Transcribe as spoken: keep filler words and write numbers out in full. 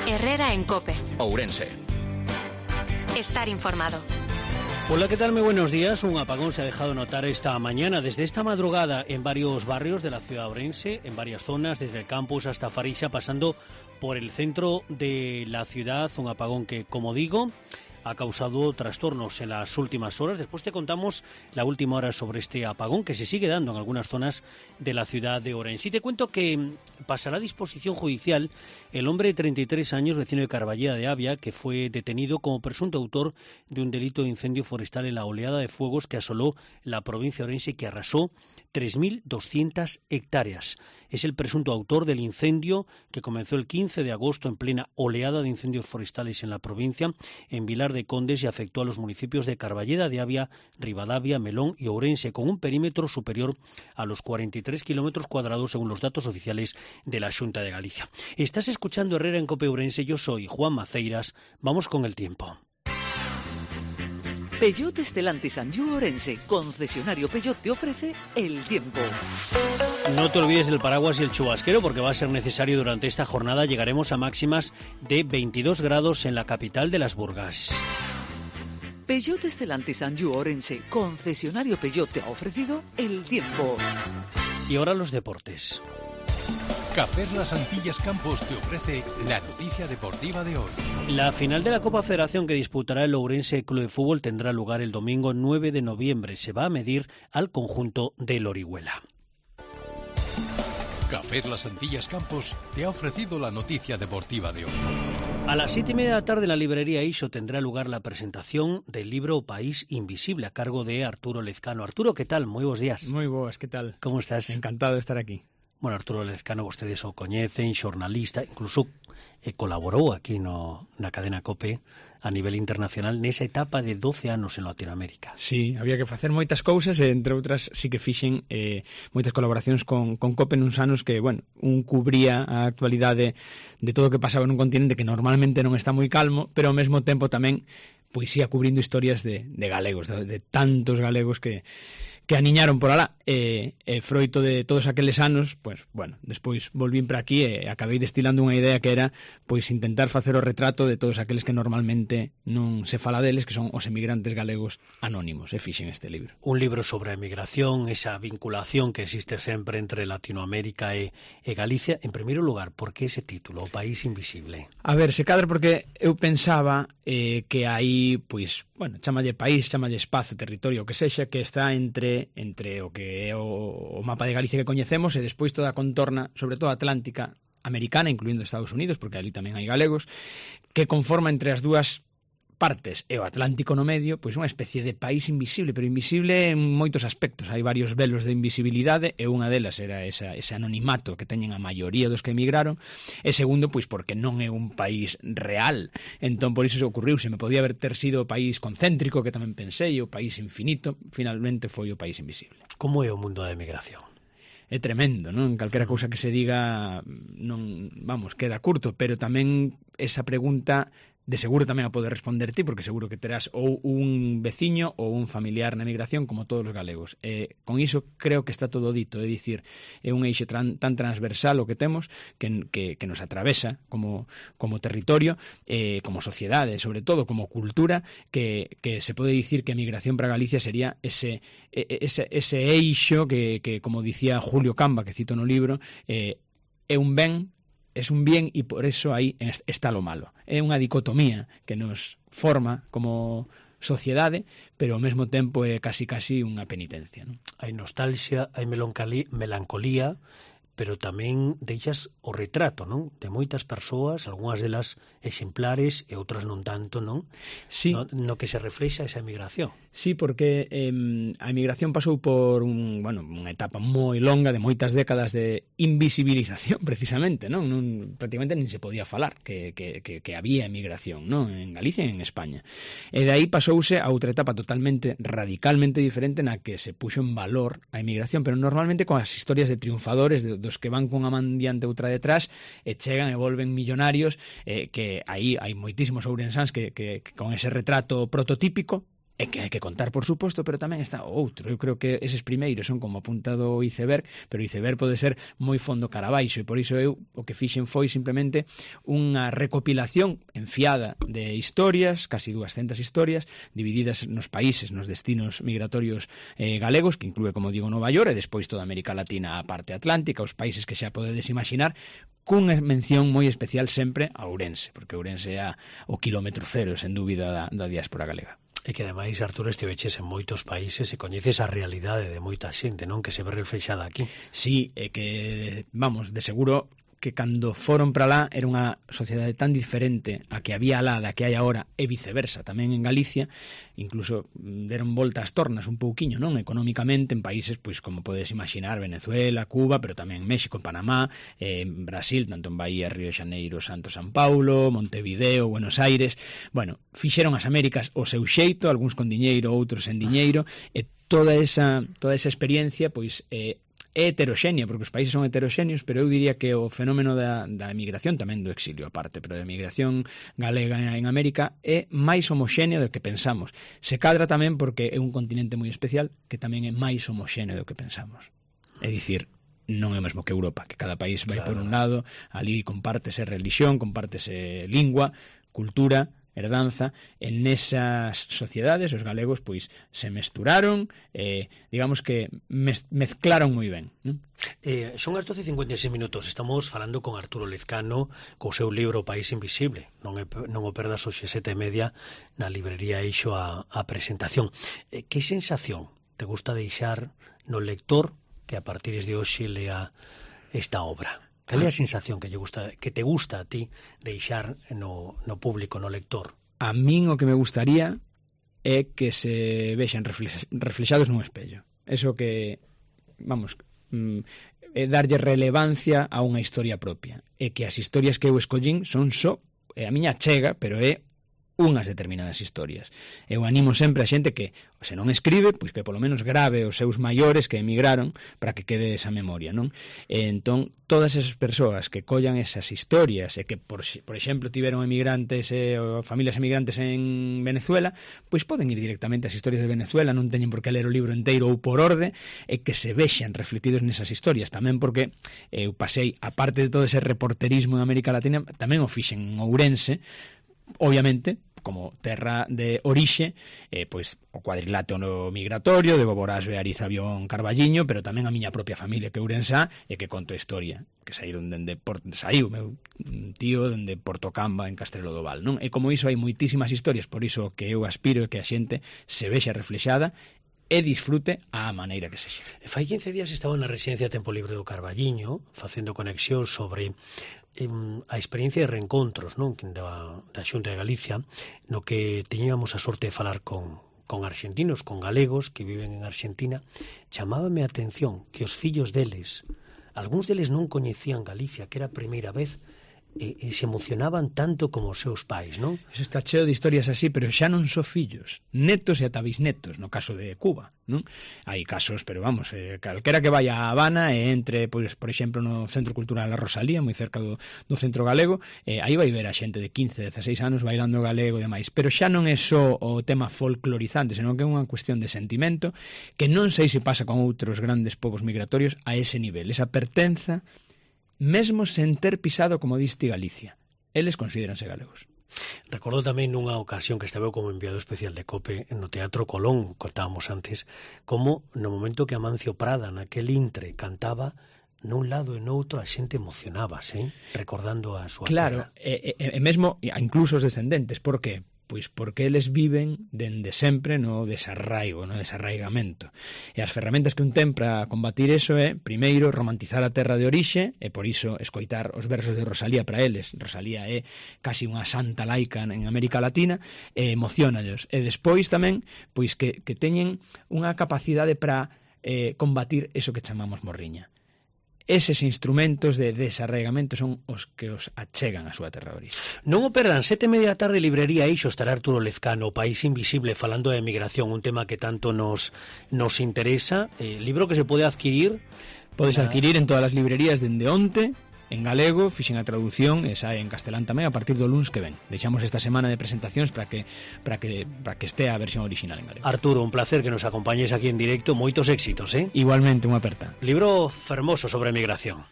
Herrera en COPE. Ourense. Estar informado. Hola, ¿qué tal? Muy buenos días. Un apagón se ha dejado notar esta mañana, desde esta madrugada, en varios barrios de la ciudad de Ourense, en varias zonas, desde el campus hasta Farixa, pasando por el centro de la ciudad. Un apagón que, como digo, ha causado trastornos en las últimas horas. Después te contamos la última hora sobre este apagón que se sigue dando en algunas zonas de la ciudad de Ourense. Y te cuento que pasará a disposición judicial el hombre de treinta y tres años, vecino de Carballeda de Avia, que fue detenido como presunto autor de un delito de incendio forestal en la oleada de fuegos que asoló la provincia de Ourense y que arrasó tres mil doscientas hectáreas. Es el presunto autor del incendio que comenzó el quince de agosto en plena oleada de incendios forestales en la provincia, en Vilar de Condes, y afectó a los municipios de Carballeda de Avia, Ribadavia, Melón y Ourense, con un perímetro superior a los cuarenta y tres kilómetros cuadrados según los datos oficiales de la Xunta de Galicia. Estás escuchando Herrera en COPE Ourense, yo soy Juan Maceiras. Vamos con el tiempo. Peugeot Stellantis Anjou Ourense, concesionario Peugeot, te ofrece el tiempo. No te olvides del paraguas y el chubasquero porque va a ser necesario durante esta jornada. Llegaremos a máximas de veintidós grados en la capital de las Burgas. Peugeot Stellantis Anjou Ourense, concesionario Peugeot, te ha ofrecido el tiempo. Y ahora los deportes. Café Las Antillas Campos te ofrece la noticia deportiva de hoy. La final de la Copa Federación que disputará el Ourense Club de Fútbol tendrá lugar el domingo nueve de noviembre. Se va a medir al conjunto del Orihuela. Café Las Antillas Campos te ha ofrecido la noticia deportiva de hoy. A las siete y media de la tarde en la librería Iso tendrá lugar la presentación del libro País Invisible a cargo de Arturo Lezcano. Arturo, ¿qué tal? Muy buenos días. Muy buenas, ¿qué tal? ¿Cómo estás? Encantado de estar aquí. Bueno, Arturo Lezcano, vostedes o coñecen, xornalista, incluso eh, colaborou aquí no, na cadena COPE a nivel internacional nesa etapa de doce anos en Latinoamérica. Sí, había que facer moitas cousas e, entre outras, sí que fixen eh, moitas colaboracións con, con COPE nuns anos que, bueno, un cubría a actualidade de todo o que pasaba nun continente que normalmente non está moi calmo, pero ao mesmo tempo tamén pois ia cubrindo historias de, de galegos, de, de tantos galegos que, que aniñaron por alá. E, e froito de todos aqueles anos, pois, bueno, despois volvín para aquí e acabei destilando unha idea que era pois intentar facer o retrato de todos aqueles que normalmente non se fala deles, que son os emigrantes galegos anónimos, e fixen este libro. Un libro sobre a emigración, esa vinculación que existe sempre entre Latinoamérica e, e Galicia. En primeiro lugar, por que ese título, O País Invisible? A ver, se cadra porque eu pensaba eh, que aí, pois, bueno, chamalle país, chamalle espazo, territorio, o que sexa, que está entre entre o que é o, o mapa de Galicia que coñecemos e despois toda a contorna, sobre todo atlántica, americana, incluindo Estados Unidos, porque ali tamén hai galegos, que conforma entre as dúas partes e o Atlántico no medio, pois unha especie de país invisible, pero invisible en moitos aspectos. Hai varios velos de invisibilidade e unha delas era esa, ese anonimato que teñen a maioría dos que emigraron, e segundo, pois porque non é un país real. Entón, por iso se ocurriu, se me podía haber ter sido o país concéntrico, que tamén pensei, o país infinito, finalmente foi o país invisible. Como é o mundo da emigración? É tremendo, non? Calquera cousa que se diga non, vamos, queda curto, pero tamén esa pregunta de seguro tamén a poder responder ti, porque seguro que terás ou un veciño ou un familiar na emigración como todos os galegos. E con iso creo que está todo dito, é dicir, é un eixo tran, tan transversal o que temos que, que, que nos atravesa como, como territorio, eh, como sociedade, sobre todo como cultura, que, que se pode dicir que a emigración para Galicia sería ese, ese, ese eixo que, que, como dicía Julio Camba, que cito no libro, eh, é un ben, es un bien e por eso aí está lo malo. É unha dicotomía que nos forma como sociedade, pero ao mesmo tempo é casi casi unha penitencia, non? Hai nostalgia, hai melancolía, pero tamén deixas o retrato, non? De moitas persoas, algunhas delas exemplares e outras non tanto, non? Sí. No, no que se reflexa esa emigración. Sí, porque eh, a emigración pasou por un, bueno, unha etapa moi longa de moitas décadas de invisibilización, precisamente, non? non prácticamente nin se podía falar que, que, que, que había emigración, non? En Galicia e en España. E de aí pasouse a outra etapa totalmente, radicalmente diferente na que se puxo en valor a emigración, pero normalmente con as historias de triunfadores, de, dos que van cunha man diante outra detrás e chegan e volven millonarios, eh, que aí hai moitísimos ourensáns que, que, que con ese retrato prototípico e que hai que contar, por suposto, pero tamén está o outro. Eu creo que eses primeiros son como apuntado o iceberg, pero o iceberg pode ser moi fondo cara abaixo, e por iso eu o que fixen foi simplemente unha recopilación enfiada de historias, casi duascentas historias, divididas nos países, nos destinos migratorios eh, galegos, que inclúe, como digo, Nova York, e despois toda América Latina, a parte atlántica, os países que xa podedes imaginar, cunha mención moi especial sempre a Ourense, porque Ourense é o quilómetro cero, sen dúbida, da, da diáspora galega. E que ademais, Arturo, estiveches en moitos países e coñeces a realidade de moita xente, non? Que se ve reflexada aquí. Sí, é que, vamos, de seguro que cando foron para lá era unha sociedade tan diferente a que había lá da que hai agora e viceversa, tamén en Galicia, incluso deron volta as tornas un pouquiño, non? Económicamente en países, pois como podes imaginar, Venezuela, Cuba, pero tamén México, Panamá, eh, Brasil, tanto en Bahía, Río de Janeiro, Santo San Paulo, Montevideo, Buenos Aires. Bueno, fixeron as Américas o seu xeito, algúns con diñeiro, outros sen diñeiro, e toda esa toda esa experiencia, pois eh, é heteroxénea, porque os países son heteroxéneos, pero eu diría que o fenómeno da, da emigración, tamén do exilio aparte, pero da emigración galega en América é máis homoxéneo do que pensamos. Se cadra tamén porque é un continente moi especial que tamén é máis homoxéneo do que pensamos. É dicir, non é o mesmo que Europa, que cada país vai claro. Por un lado, ali compártese religión, compártese lingua, cultura, herdanza, en esas sociedades os galegos pois se mesturaron, eh, digamos que mez, mezclaron moi ben, non? Eh, son as doce e cincuenta e seis minutos, estamos falando con Arturo Lezcano co seu libro País Invisible, non, é, non o perdas hoxe sete e media na librería Eixo a, a presentación. Eh, que sensación te gusta deixar no lector que a partir de hoxe lea esta obra? Cal é a sensación que lle gusta, que te gusta a ti deixar no, no público, no lector? A min o que me gustaría é que se vexan reflexados nun espello. Eso que, vamos, é darlle relevancia a unha historia propia. E que as historias que eu escollín son só, é a miña chega, pero é unhas determinadas historias. Eu animo sempre a xente que, se non escribe, pois que polo menos grave os seus maiores que emigraron para que quede esa memoria, non? E entón, todas esas persoas que collan esas historias e que, por, por exemplo, tiveron emigrantes e eh, familias emigrantes en Venezuela, pois poden ir directamente ás historias de Venezuela, non teñen por que ler o libro inteiro ou por orde, e que se vexan refletidos nesas historias, tamén porque eu pasei, aparte de todo ese reporterismo en América Latina, tamén o fixen en Ourense, obviamente, como terra de orixe, eh, pois o cuadrilátero migratorio de Boborasbe, Ariza, Avión, Carballiño, pero tamén a miña propia familia que Ourensá, e que conto a historia, que saíron dende Port... saiu meu tío dende Portocamba en Castrelo do Val, non? E como iso hai moitísimas historias, por iso que eu aspiro que a xente se vexa reflexada e disfrute á maneira que sexa. Fai quince días estaba na residencia Tempo Libre do Carballiño facendo conexión sobre em, a experiencia de reencontros, non, da, da Xunta de Galicia, no que teñíamos a sorte de falar con, con argentinos, con galegos que viven en Argentina. Chamábame a atención que os fillos deles, algúns deles non coñecían Galicia, que era a primeira vez, e, e se emocionaban tanto como os seus pais, non? Eso está cheo de historias así, pero xa non só fillos, netos e ata bisnetos, no caso de Cuba, non? Hai casos, pero vamos, eh, calquera que vaya a Habana e entre, pois, por exemplo, no Centro Cultural La Rosalía, moi cerca do, do Centro Galego, eh, aí vai ver a xente de quince, dezaseis anos bailando galego e demais, pero xa non é só o tema folclorizante, senón que é unha cuestión de sentimento que non sei se pasa con outros grandes povos migratorios a ese nivel, esa pertenza mesmo sen ter pisado, como diste, Galicia. Eles considéranse galegos. Recordo tamén nunha ocasión que estaba como enviado especial de COPE no Teatro Colón, contábamos antes, como no momento que Amancio Prada naquel intre cantaba, nun lado e noutro a xente emocionábase, eh? Recordando a súa claro, terra. E, e, e mesmo incluso os descendentes, por que? Pois porque eles viven dende sempre no desarraigo, no desarraigamento. E as ferramentas que un ten para combatir eso é, primeiro, romantizar a terra de orixe, e por iso escoitar os versos de Rosalía para eles. Rosalía é casi unha santa laica en América Latina, e emocionallos. E despois tamén, pois que, que teñen unha capacidade para eh, combatir eso que chamamos morriña. Eses instrumentos de desarraigamento son os que os achegan a súa terra de orixe. Non o perdan, sete e media da tarde, librería Eixo, estará Arturo Lezcano, País Invisible, falando de emigración, un tema que tanto nos, nos interesa. Eh, libro que se pode adquirir. Podes na... adquirir en todas as librerías dende onte, en galego, fixen a traducción e sae en castelán tamén a partir do luns que ven. Deixamos esta semana de presentacións para que para que para que estea a versión original en galego. Arturo, un placer que nos acompañes aquí en directo, moitos éxitos, eh? Igualmente, unha aperta. Libro fermoso sobre migración.